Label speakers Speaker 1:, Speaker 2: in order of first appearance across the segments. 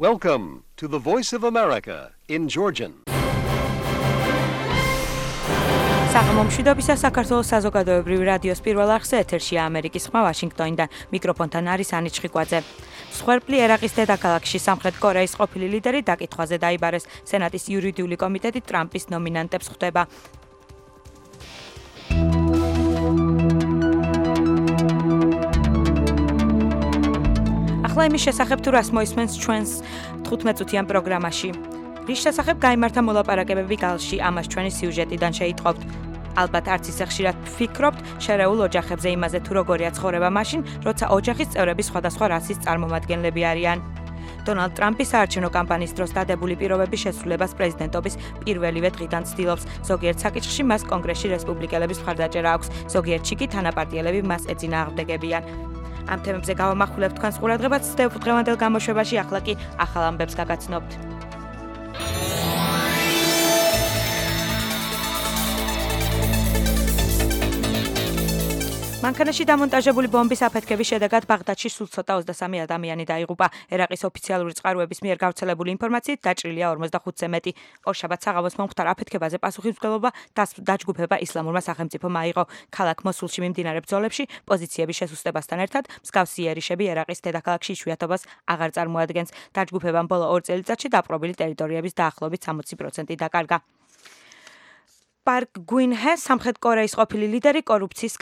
Speaker 1: Welcome to the Voice of America in Georgian.
Speaker 2: საღამომშვიდობისა საქართველოს საზოგადოებრივი რადიოს პირველ არხზე ეთერშია ამერიკის ხმა ვაშინგტონიდან. მიკროფონთან არის ანი ჩხიკვაძე. მსხვერპლი ერაყის დედაქალაქში სამხრეთ კორეის ყოფილი ლიდერი დაკითხვაზე დაიბარეს. სენატის იურიდიული კომიტეტი ტრამპის ნომინანტებს ხვდება. ახლა იმის შესახებ თუ რას მოისმენს ჩვენს 15 წუთიან პროგრამაში. რის შესახებ გაიმართა მოლაპარაკებები გალში, ამას ჩვენი სიუჟეტიდან შეიტყობთ. ალბათ არც ისე ხშირად ვფიქრობთ შერეულ ოჯახებზე იმაზე თუ როგორია ცხოვრება მაშინ, როცა ოჯახის წევრები სხვადასხვა რასის წარმომადგენლები არიან. დონალდ ტრამპი საარჩევნო კამპანიის დროს დადებული პირობების შესრულებას პრეზიდენტობის პირველივე დღიდან ცდილობს. ზოგიერთ საკითხში მას კონგრესში რესპუბლიკელების მხარდაჭერა აქვს, ზოგიერთში კი თანაპარტიელები მას ეწინააღმდეგებიან. ამ თემებზე გავამახვილებთ თქვენს ყურადღებას დღევანდელ გამოშვებაში, ახლა კი ახალ ამბებს გაგაცნობთ. მანქანაში დამონტაჟებული ბომბის აფეთქების შედეგად ბაღდადში სულ ცოტა 23 ადამიანი დაიღუპა. ერაყის ოფიციალური წყაროების მიერ გავრცელებული ინფორმაციით დაჭრილია 45-ზე მეტი. ორშაბათს საღამოს მომხდარ აფეთქებაზე პასუხისმგებლობა დაჯგუფება ისლამურმა სახელმწიფომ აიღო. ქალაქ მოსულში მიმდინარე ბრძოლებში პოზიციების შესუსტებასთან ერთად მსგავსი იერიშები ერაყის დედაქალაქში იშვიათობას აღარ წარმოადგენს. დაჯგუფებამ ბოლო 2 წელიწადში დაპყრობილი ტერიტორიების დაახლოებით 60% დაკარგა. პარკ გუინჰე სამხრეთ კორეის ყოფილი ლიდერი კორუფციის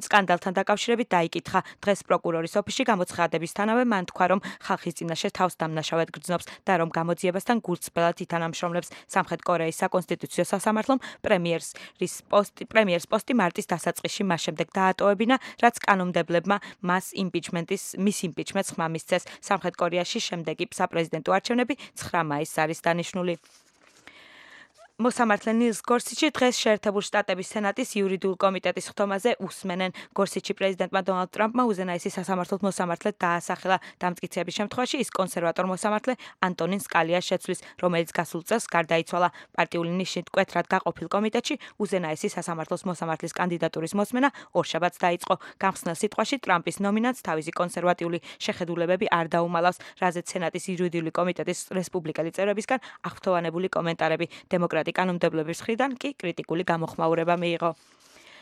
Speaker 2: სკანდალთან დაკავშირებით დაიკითხა. დღეს პროკურორის ოფისში გამოცხადებისთანავე მან თქვა, რომ ხალხის წინაშე თავს დამნაშავედ გრძნობს და რომ გამოძიებასთან გულწრფელად ითანამშრომლებს. სამხრეთ კორეის საკონსტიტუციო სასამართლომ პრემიერის პოსტი მარტის დასაწყისში მას შემდეგ დაატოვებინა, რაც კანონმდებლებმა მის იმპიჩმენტს ხმა მისცეს. სამხრეთ კორეაში შემდეგი საპრეზიდენტო არჩევნები 9 მაისს არის დანიშნული. მოსამართლე ნილს გორსიჩი დღეს შეერთებული შტატების სენატის იურიდიულ კომიტეტის ხდომაზე უსმენენ. გორსიჩი პრეზიდენტმა დონალდ ტრამპმა უზენაესი სასამართლოს მოსამართლედ დაასახელა. დამტკიცების შემთხვევაში ის კონსერვატორ მოსამართლე ანტონინ სკალიას შეცვლის, რომელიც გასულ წელს გარდაიცვალა. პარტიული ნიშნით მკვეთრად გაყოფილ კომიტეტში უზენაესი სასამართლოს მოსამართლის კანდიდატურის მოსმენა ორშაბათს დაიწყო. გამხსნელ სიტყვაში ტრამპის ნომინანტს თავისი კონსერვატიული შეხედულებები არ დაუმალავს, რაზეც სენატის იურიდიული კომიტეტის რესპუბლიკელი წევრებისგან აღფრთოვანებული კომენტარები დემოკრატ კანონმდებლობის მხრიდან კი კრიტიკული გამოხმაურება მიიღო.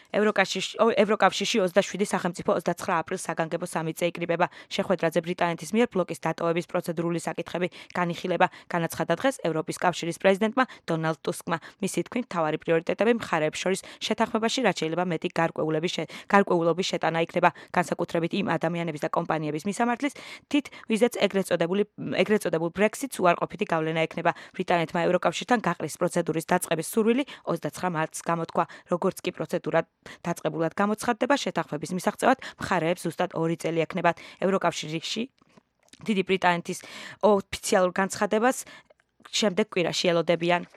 Speaker 2: ევროკავშირში 27 სახელმწიფო 29 აპრილს საგანგებო სამიტზე იკრიბება. შეხვედრაზე ბრიტანეთის მიერ ბლოკის დატოვების პროცედურული საკითხები განიხილება. განაცხადა დღეს ევროპის კავშირის პრეზიდენტმა დონალდ ტუსკმა. მისი თქმით, მთავარი პრიორიტეტები მხარეებს შორის შეთანხმებაში რაც შეიძლება მეტი გარკვეულობის შეტანა იქნება, განსაკუთრებით იმ ადამიანების და კომპანიების მისამართლის თით, ვიზეც ეგრეთ წოდებულ ბრექსიტს უარყოფითი გავლენა ექნება. ბრიტანეთმა ევროკავშირთან გაყრის პროცედურის დაწყების სურვილი 29 მარტს გამოთქვა, როგორც კი პროცედურა დაწყებულად გამოცხადდება, შეთანხმების მისაღწევად მხარეებს ზუსტად 2 წელი ექნებათ. ევროკავშირში დიდი ბრიტანეთის ოფიციალურ განცხადებას შემდეგ კვირაში ელოდებიან.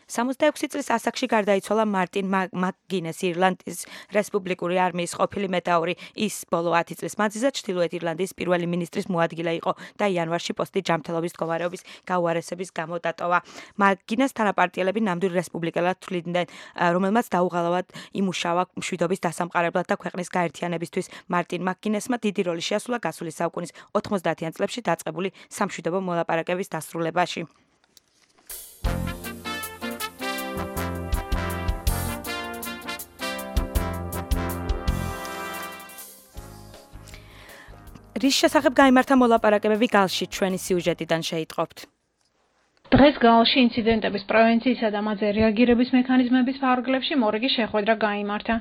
Speaker 2: 66 წლის ასაკში გარდაიცვალა მარტინ მაკგინესი, ირლანდიის რესპუბლიკური არმიის ყოფილი მეტაური. ის ბოლო 10 წლის მანძილზე ჩრდილოეთ ირლანდიის პირველი მინისტრის მოადგილე იყო და იანვარში პოსტი ჯანმრთელობის მდგომარეობის გაუარესების გამო დატოვა. მაკგინეს თანაპარტიელები ნამდვილ რესპუბლიკელად თვლიდნენ, რომელმაც დაუღალავად იმუშავა მშვიდობის დასამყარებლად და ქვეყნის გაერთიანებისთვის. მარტინ მაკგინესმა დიდი როლი შეასრულა გასული საუკუნის 90-იან წლებში დაწყებული სამშვიდობო მოლაპარაკების დასრულებაში. რის შესახებ გაიმართა მოლაპარაკებები გალში, ჩვენი სიუჟეტიდან შეიტყობთ.
Speaker 3: დღეს გალში ინციდენტების პრევენციისა და მათზე რეაგირების მექანიზმების ფარგლებში მორიგი შეხვედრა გაიმართა.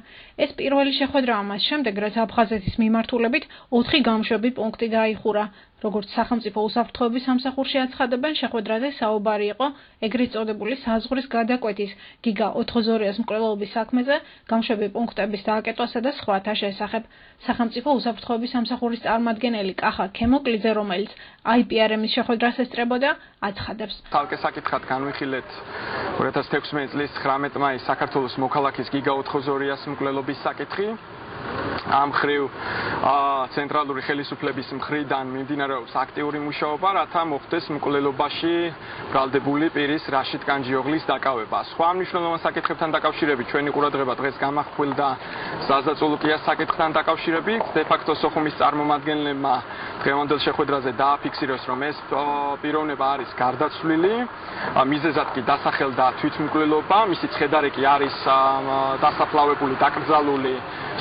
Speaker 3: ეს პირველი შეხვედრა ამას შემდეგ, რაც აფხაზეთის მიმართულებით 4 გამშვები პუნქტი დაიხურა. როგორც სახელმწიფო უსაფრთხოების სამსახურში აცხადებენ, შეხვედრაზე საუბარი იყო ეგრეთ წოდებული საზღვრის გადაკვეთის გიგა 402-ს მკვლელობის საქმეზე, გამშვები პუნქტების დააკეტვასა და სხვათა შესახებ. სახელმწიფო უსაფრთხოების სამსახურის წარმომადგენელი კახა ქემოკლიძე, რომელიც IPRM-ის შეხვედრას ესწრებოდა, აცხადებს.
Speaker 4: Talke საკითხად განვიხილეთ 2016 წლის 19 მაისს საქართველოს მოქალაქის გიგა 402-ს მკვლელობის საკითხი. ამ ხრივ ცენტრალური ხელისუფლების მხრიდან მიმდინარეობს აქტიური მუშაობა, რათა მოხდეს მკვლელობაში ბრალდებული პირის რაშიდ კანჯიოღლის დაკავება. სხვა მნიშვნელოვან საკითხებთან დაკავშირებით ჩვენი ყურადღება დღეს გამახვილდა საზაწოლოყიას საკითხთან დაკავშირებით. დე-ფაქტო სოხუმის წარმომადგენლებმა დღევანდელ შეხვედრაზე დააფიქსირეს, რომ ეს პიროვნება არის გარდაცვლილი, მიზეზად კი დასახელდა თვითმკვლელობა, მისი ცხედარი კი არის დასაფლავებული, დაკრძალული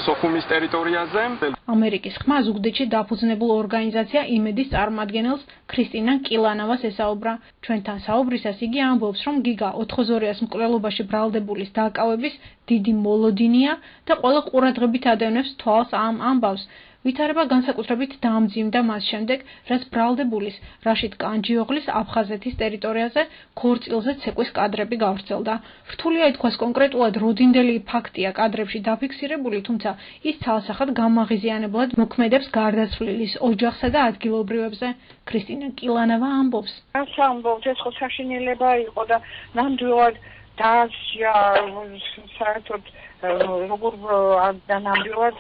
Speaker 4: სოხუმის ტერიტორიაზე.
Speaker 3: ამერიკის ხმა ზუგდიდში დაფუძნებულ ორგანიზაცია იმედის წარმომადგენელს ქრისტინა კილანავას ესაუბრა. ჩვენთან საუბრისას იგი ამბობს, რომ გიგა 4-ზორიას მკვლელობაში ბრალდებულის დაკავების დიდი მოლოდინია და ყველა ყურადღებით ადევნებს თვალს ამ ამბავს. ვითარება განსაკუთრებით დაამძიმდა მას შემდეგ, რაც ბრალდებულის რაშიდ კანჯიოღლის აფხაზეთის ტერიტორიაზე ქორწილზე ცეკვის კადრები გავრცელდა. რთულია ითქვას კონკრეტულად როდინდელი ფაქტია კადრებში დაფიქსირებული, თუმცა ის ცალსახად გამაღიზიანებლად მოქმედებს გარდაცვლილის ოჯახსა და ადგილობრივებზე. ქრისტინა კილანავა ამბობს.
Speaker 5: ამბობს, ეს ხო საშინელება იყო და ნამდვილად დაასჯა საერთოდ როგორ ნამდვილად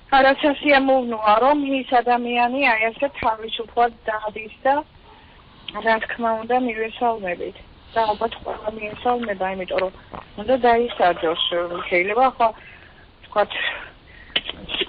Speaker 5: არასასიამოვნოა, რომ ის ადამიანი აი ასე თავისუფლად დადის და რა თქმა უნდა მივესალმებით. და ალბათ ყველა მიესალმება, იმიტომ რომ უნდა დაისაჯოს. შეიძლება ახლა თქვათ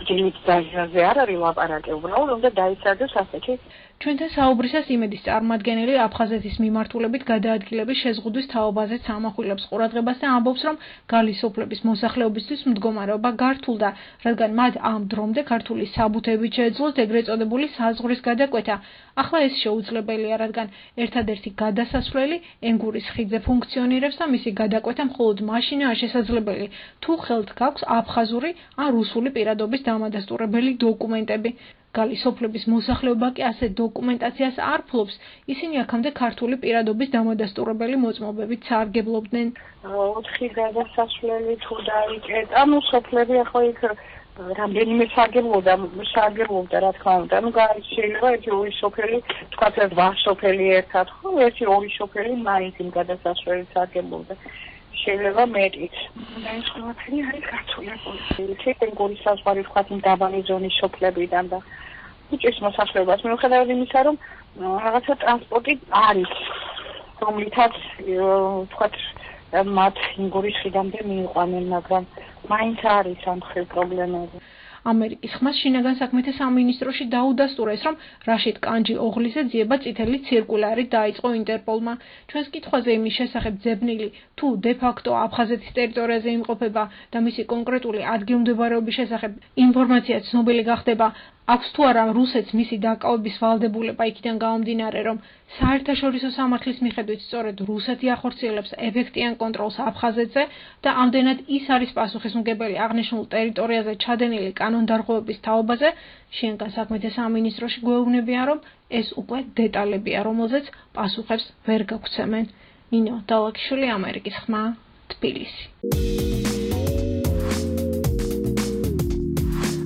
Speaker 5: ძილით დაჟაზე არ არის ლაპარაკი, უბრალოდ უნდა დაისაჯოს ასეთი.
Speaker 3: ჩვენთან საუბრისას იმედის წარმომადგენელი აფხაზეთის მიმართულებით გადაადგილების შეზღუდვის თაობაზეც ამახვილებს ყურადღებას და ამბობს, რომ გალისოფლების მოსახლეობისთვის მდგომარეობა გართულდა, რადგან მათ ამ დრომდე ქართული საბუთებით შეეძლოთ ეგრეთ წოდებული საზღვრის გადაკვეთა. ახლა ეს შეუძლებელია, რადგან ერთადერთი გადასასვლელი ენგურის ხიდზე ფუნქციონირებს და მისი გადაკვეთა მხოლოდ მაშინაა შესაძლებელი, თუ ხელთ გაქვს აფხაზური ან რუსული პირადობის დამადასტურებელი დოკუმენტები. გალისოფლების მოსახლეობა კი ასეთ დოკუმენტაციას არ ფლობს, ისინი აქამდე ქართული პირადობის დამადასტურებელი მოწმობებით სარგებლობდნენ.
Speaker 5: 4 გადასასვლელი თუ დაიკეტა, ანუ სოფლები ახლა იქ რამდენიმე სარგებლობდა, რა თქმა უნდა. ანუ შეიძლება ერთი ორი სოფელი, თქვათ 8 სოფელი ერთად, ხო, ერთი ორი სოფელი მაინც იმ გადასასვლელით სარგებლობდა. შეიძლება მეტიც. და ეს ყველაფერი არის გართულებული. ენგურის საზღვარი თქვათ იმ დაბალი ზონის სოფლებიდან და უჭირს მოსახლეობას მიუხედავად იმისა, რომ რაღაცა ტრანსპორტი არის, რომლითაც თქვათ მათ ენგურის ხიდამდე მიიყვანენ, მაგრამ მაინც არის ამ ხელ პრობლემები.
Speaker 3: ამერიკის ხმას შინაგან საქმეთა სამინისტროში დაუდასტურა ის, რომ რაშიდ კანჯიოღლიზე ძიება წითელი ცირკულარი დაიწყო ინტერპოლმა. ჩვენს კითხვაზე იმის შესახებ ძებნილი, თუ დე-ფაქტო აფხაზეთის ტერიტორიაზე იმყოფება და მისი კონკრეტული ადგილმდებარეობის შესახებ ინფორმაცია ცნობილი გახდება, აქვს თუ არა რუსეთს მისი დაკავების ვალდებულება იქიდან გამომდინარე, რომ საერთაშორისო სამართლის მიხედვით სწორედ რუსეთი ახორციელებს ეფექტიან კონტროლს აფხაზეთზე და ამდენად ის არის პასუხისმგებელი აღნიშნულ ტერიტორიაზე ჩადენილი კანონდარღვევების თაობაზე, შინაგან საქმეთა სამინისტროში გვეუბნებიან, რომ ეს უკვე დეტალებია, რომელზეც პასუხებს ვერ გაგვცემენ. ნინო დალაკიშვილი, ამერიკის ხმა, თბილისი.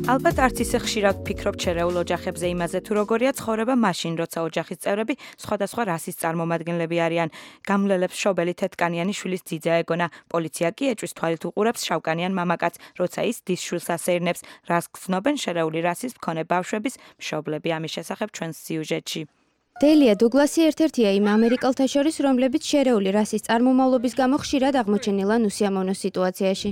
Speaker 2: ალბათ არც ისე ხშირად ვფიქრობ ჩერეულ ოჯახებზე იმაზე, თუ როგორია ცხოვრება მაშინ, როცა ოჯახის წევრები სხვადასხვა რასის წარმომადგენლები არიან. გამლელებს მშობელი თეთრკანიანი შვილის ძიძა ეგონა. პოლიცია კი ეჭვის თვალით უყურებს შავკანიან მამაკაცს, როცა ის დის შვილს ასეირნებს. რას გრძნობენ შერეული რასის მქონე ბავშვების მშობლები, ამის შესახებ ჩვენს სიუჟეტში.
Speaker 6: დელია დუგლასი ერთ-ერთია იმ ამერიკელთა შორის, რომლებიც შერეული რასის წარმომავლობის გამო ხშირად აღმოჩენილან უსიამოვნო სიტუაციაში.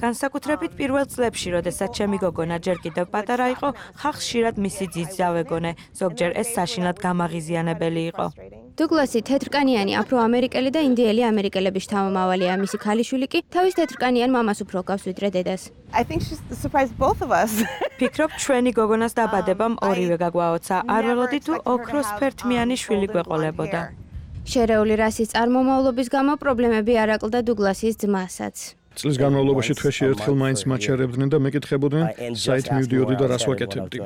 Speaker 2: განსაკუთრებით პირველ წლებში, როდესაც ჩემი გოგონა ჯერ კიდევ პატარა იყო, ხალხს ხშირად მისი ძიძა ვეგონე, ზოგჯერ ეს საშინლად გამაღიზიანებელი იყო.
Speaker 6: დუგლასი თეთრკანიანი აფრო-ამერიკელი და ინდიელი ამერიკელების შთამომავალია, მისი ქალიშვილი კი თავის თეთრკანიან მამას უფრო ჰგავს ვიდრე დედას.
Speaker 2: ფიქრობ, ჩვენი გოგონას დაბადებამ ორივე გაგვაოცა. არ ველოდი თუ ოქროსფერთმიანი შვილი გვეყოლებოდა.
Speaker 6: შერეული რასის წარმომავლობის გამო პრობლემები არ აკლდა დუგლასის ძმასაც.
Speaker 7: წლის განმავლობაში თვეში ერთხელ მაინც მაჩერებდნენ და მეკითხებოდნენ, საით მივდიოდი და რას ვაკეთებდი.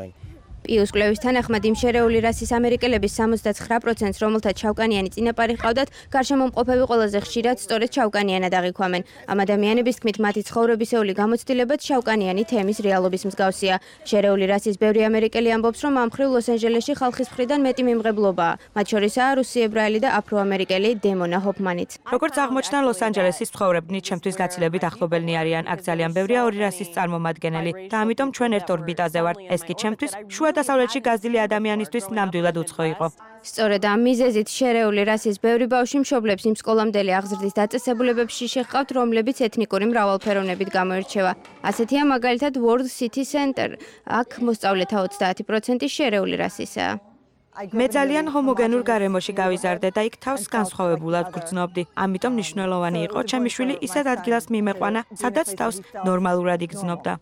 Speaker 6: პიუს კვლევის თანახმად იმ შერეული რასის ამერიკელების 79%-ს, რომელთაც შავკანიანი წინაპარი ჰყავდათ, გარშემომყოფები ყველაზე ხშირად სწორედ შავკანიანად აღიქვამენ. ამ ადამიანების თქმით, მათი ცხოვრებისეული გამოცდილებაც შავკანიანი თემის რეალობის მსგავსია. შერეული რასის ბევრი ამერიკელი ამბობს, რომ ამ მხრივ ლოს-ანჯელესში ხალხის მხრიდან მეტი მიმღებლობაა. მათ შორისაა რუსი ებრაელი და აფრო-ამერიკელი დემონა ჰოფმანიც.
Speaker 2: როგორც აღმოჩნდა, ლოს-ანჯელესის ცხოვრებნი ჩემთვის გაცილებით ახლობელნი არიან. აქ ძალიან ბევრია ორი რასის წარმომადგენელი და ამიტომ ჩვენ ერთ ორბიტაზე ვართ. ეს კი ჩემთვის შუა დასავლეთში გაზრდილი ადამიანისთვის ნამდვილად უცხო იყო.
Speaker 6: სწორედ ამ მიზეზით შერეული რასის ბევრი ბავშვი მშობლებს იმ სკოლამდელი აღზრდის დაწესებულებებში შეჰყავთ, რომლებიც ეთნიკური მრავალფეროვნებით გამოირჩევა. ასეთია მაგალითად World City Center. აქ მოსწავლეთა 30% შერეული რასისაა.
Speaker 2: მე ძალიან ჰომოგენურ გარემოში გავიზარდე და იქ თავს განსხვავებულად გრძნობდი. ამიტომ მნიშვნელოვანი იყო ჩემი შვილი ისეთ ადგილას მიმეყვანა, სადაც თავს ნორმალურად იგრძნობდა.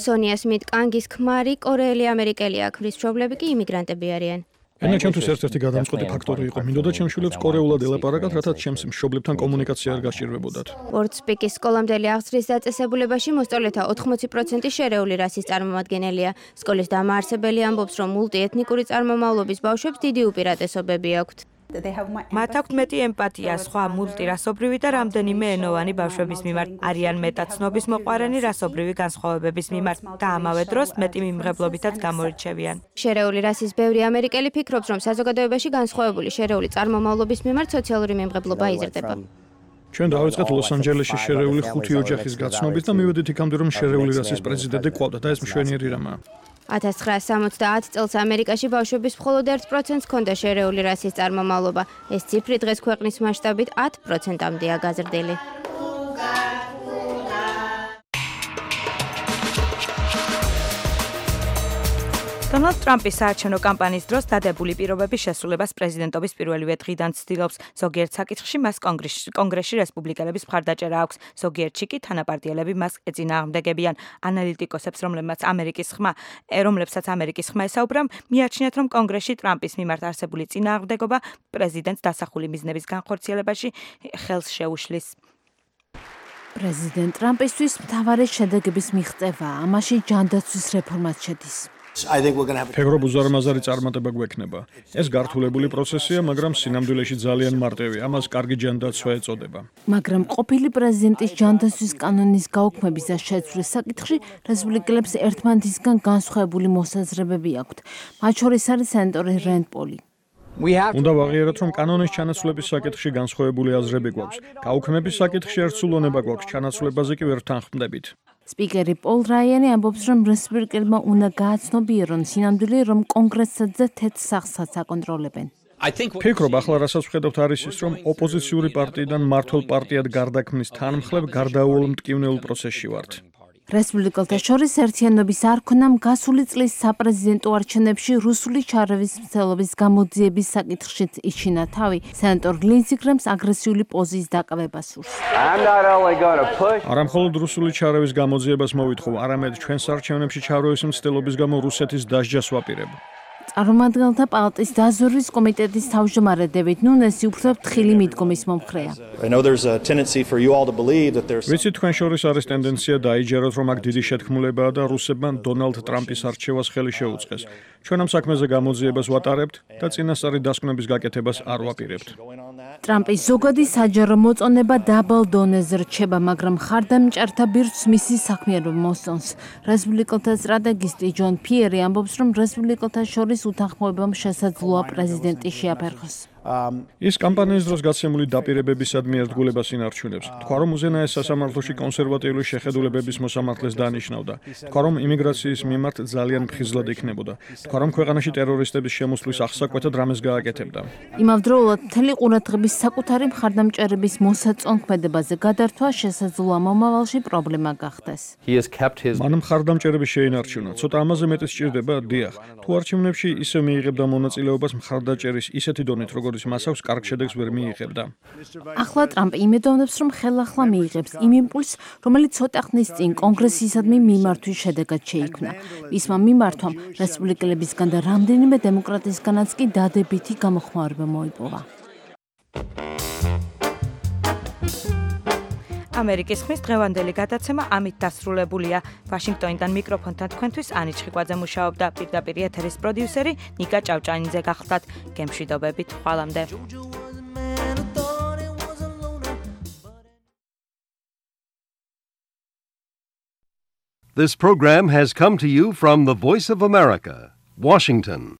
Speaker 6: სონია სმით კანგის ქმარი კორეელი ამერიკელია, ქვის მშობლები კი იმიგრანტები არიან.
Speaker 7: ენა ჩემთვის ერთ-ერთი გადამწყვეტი ფაქტორი იყო. მინდოდა ჩემს შვილებს კორეულად ელაპარაკათ, რათა ჩემს მშობლებთან კომუნიკაცია არ გასჭირდებოდათ.
Speaker 6: WordSpeak-ის სკოლამდელი აღზრდის დაწესებულებაში მოსწავლეთა 80% შერეული რასის წარმომადგენელია. სკოლის დამაარსებელი ამბობს, რომ მულტიეთნიკური წარმომავლობის ბავშვებს დიდი უპირატესობები აქვთ.
Speaker 2: მათ აქვთ მეტი ემპათია სხვა მულტირასობრივი და რამდენიმე ენოვანი ბავშვების მიმართ. არიან მეტად ცნობის მოყვარენი რასობრივი განსხვავებების მიმართ და ამავე დროს მეტი მიმღებლობითაც გამორჩევიან.
Speaker 6: შერეული რასის ბევრი ამერიკელი ფიქრობს, რომ საზოგადოებაში განსხვავებული შერეული წარმომავლობის მიმართ სოციალური მიმღებლობა იზრდება.
Speaker 7: ჩვენ დავიწყეთ ლოს-ანჯელესში შერეული 5 ოჯახის გაცნობით და მივედით იქამდე, რომ შერეული რასის პრეზიდენტი ყავდა და ეს მშვენიერი რამაა.
Speaker 6: 1970 წელს ამერიკაში ბავშვების მხოლოდ 1%-ს ჰქონდა შერეული რასის წარმომავლობა. ეს ციფრი დღეს ქვეყნის მასშტაბით 10%-მდეა გაზრდილი.
Speaker 2: დონალდ ტრამპის საარჩევნო კამპანიის დროს დადებული პირობების შესრულებას პრეზიდენტობის პირველივე დღიდან ცდილობს. ზოგიერთ საკითხში მას კონგრესში რესპუბლიკელების მხარდაჭერა აქვს, ზოგიერთში კი თანაპარტიელები მას ეწინააღმდეგებიან. ანალიტიკოსებს, რომლებსაც ამერიკის ხმა ესაუბრა, მიაჩნიათ, რომ კონგრესში ტრამპის მიმართ არსებული წინააღმდეგობა პრეზიდენტს დასახული მიზნების განხორციელებაში ხელს შეუშლის.
Speaker 8: პრეზიდენტ ტრამპისთვის მთავარი შედეგების მიღწევა, ამაში ჯანდაცვის რეფორმაც შედის.
Speaker 7: ფეგრობ უზარმაზარი წარმატება გვექნება. ეს გართულებული პროცესია, მაგრამ სინამდვილეში ძალიან მარტივია. ამას კარგი ჯანდაცვა ეწოდება.
Speaker 8: მაგრამ ყოფილი პრეზიდენტის ჯანდაცვის კანონის გაუქმების და შეცვლის საკითხში რესპუბლიკელებს ერთმანეთისგან განსხვავებული მოსაზრებები აქვთ. მათ შორის არის სენატორი რენდ პოლი.
Speaker 7: უნდა ვაღიაროთ, რომ კანონის ჩანაცვლების საკითხში განსხვავებული აზრები გვაქვს. გაუქმების საკითხში ერთსულოვნება გვაქვს, ჩანაცვლებაზე კი ვერ თანხმდებით.
Speaker 8: სპიკერი პოლ რაიანი ამბობს, რომ რესპუბლიკელებმა უნდა გააცნობიერონ სინამდვილე, რომ კონგრესზე თეთრ სახსაც აკონტროლებენ.
Speaker 7: ფიქრობ, ახლა რასაც ვხედავთ არის ის, რომ ოპოზიციური პარტიიდან მმართველ პარტიად გარდაქმნის თანმხლებ გარდაუვალ მტკივნეულ პროცესში ვართ.
Speaker 8: რესპუბლიკელთა შორის ერთიანობის არ ქონამ გასული წლის საპრეზიდენტო არჩევნებში რუსული ჩარევის მცდელობის გამოძიების საკითხშიც იჩინა თავი. სენატორ ლინდსი გრემს აგრესიული პოზიციის დაკავება სურს.
Speaker 7: არა მხოლოდ რუსული ჩარევის გამოძიებას მოვითხოვ, არამედ ჩვენს არჩევნებში ჩარევის მცდელობის გამო რუსეთის დასჯას ვაპირებ.
Speaker 8: წარმომადგენელთა პალატის დაზვერვის კომიტეტის თავმჯდომარე დევიდ ნუნესი უფრო ფრთხილი მიდგომის მომხრეა.
Speaker 7: ვიცი თქვენ შორის არის ტენდენცია დაიჯეროთ, რომ აქ დიდი შეთქმულებაა და რუსებმა დონალდ ტრამპის არჩევას ხელი შეუწყეს. ჩვენ ამ საქმეზე გამოძიებას ვატარებთ და წინასწარი დასკვნების გაკეთებას არ ვაპირებთ.
Speaker 8: ტრამპის ზოგადი საჯარო მოწონება დაბალ დონეზე რჩება, მაგრამ ხარდამჭერთა ბირთვს მისი საქმიანობა მოსწონს. რესპუბლიკელთა სტრატეგისტი ჯონ ფიერი ამბობს, რომ რესპუბლიკელთა შორის უთანხმოებამ შესაძლოა პრეზიდენტი შეაფერხოს.
Speaker 7: ის კამპანიის დროს გაცემული დაპირებებისადმი ერთგულებას ინარჩუნებს. თქვა, რომ უზენაეს სასამართლოში კონსერვატიული შეხედულებების მოსამართლეს დანიშნავდა. თქვა, რომ იმიგრაციის მიმართ ძალიან მფხიზლად იქნებოდა. თქვა, რომ ქვეყანაში ტერორისტების შემოსვლის აღსაკვეთად რამეს გააკეთებდა.
Speaker 8: იმავდროულად მთელი ყურადღების საკუთარი მხარდამჭერების მოსაწონქმედებაზე გადართვა შესაძლოა მომავალში პრობლემა გახდეს.
Speaker 7: მან მხარდამჭერები შეინარჩუნა. ცოტა ამაზე მეტი სჭირდება, დიახ. თუ არჩევნებში ისე მიიღებდა მონაწილეობას მხარდაჭერის ისეთი დონით, როგორც მას აქვს კარგ შედეგს ვერ მიიღებდა.
Speaker 8: ახლა ტრამპი იმედოვნებს, რომ ხელახლა მიიღებს იმ იმპულსს, რომელიც ცოტა ხნის წინ კონგრესისადმი მიმართვის შედეგად შეიქმნა. მისმა მიმართვამ რესპუბლიკელებისგან და რამდენიმე დემოკრატისგანაც კი დადებითი გამოხმაურება მოიპოვა.
Speaker 2: ამერიკის ხმის დღევანდელი გადაცემა ამით დასრულებულია. ვაშინგტონიდან მიკროფონთან თქვენთვის ანი ჩხიკვაძე მუშაობდა, პირდაპირ ეთერის პროდიუსერი ნიკა ჭავჭანიძე გახლდათ. გემშვიდობებით, ხვალამდე.
Speaker 1: This program has come to you from the Voice of America, Washington.